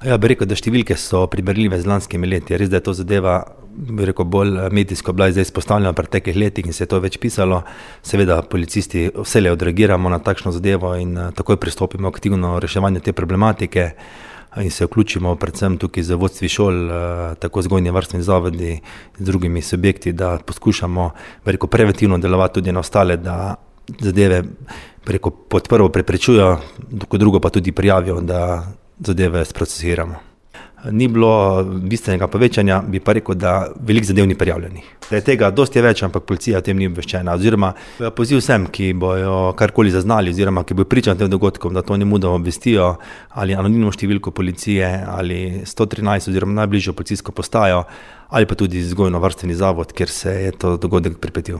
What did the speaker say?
Ja, bi rekel, da številke so primerljive z lanskimi leti. Res, da je to zadeva, bi rekel, bolj medijsko bila zdaj izpostavljena v preteklih letih in se je to več pisalo. Seveda policisti vselej odreagiramo na takšno zadevo in takoj pristopimo k aktivno reševanju te problematike in se vključimo predvsem tukaj z vodstvi šol, tako vzgojni varstveni zavodi z drugimi subjekti, da poskušamo, bi rekel, preventivno delovati tudi na ostale, da zadeve, bi rekel, pod prvo preprečujo, kot drugo pa tudi prijavijo, da zadeve sprocesiramo. Ni bilo bistvenega povečanja, bi pa rekel, da veliko zadev ni prijavljenih. Da je tega dosti več, ampak policija o tem ni obveščena. Oziroma poziv vsem, ki bojo karkoli zaznali oziroma ki bojo pričali tem dogodkom, da to nemudoma obvestijo ali anonimno številko policije ali 113 oziroma najbližjo policijsko postajo ali pa tudi vzgojno varstveni zavod, kjer se je to dogodek pripetil.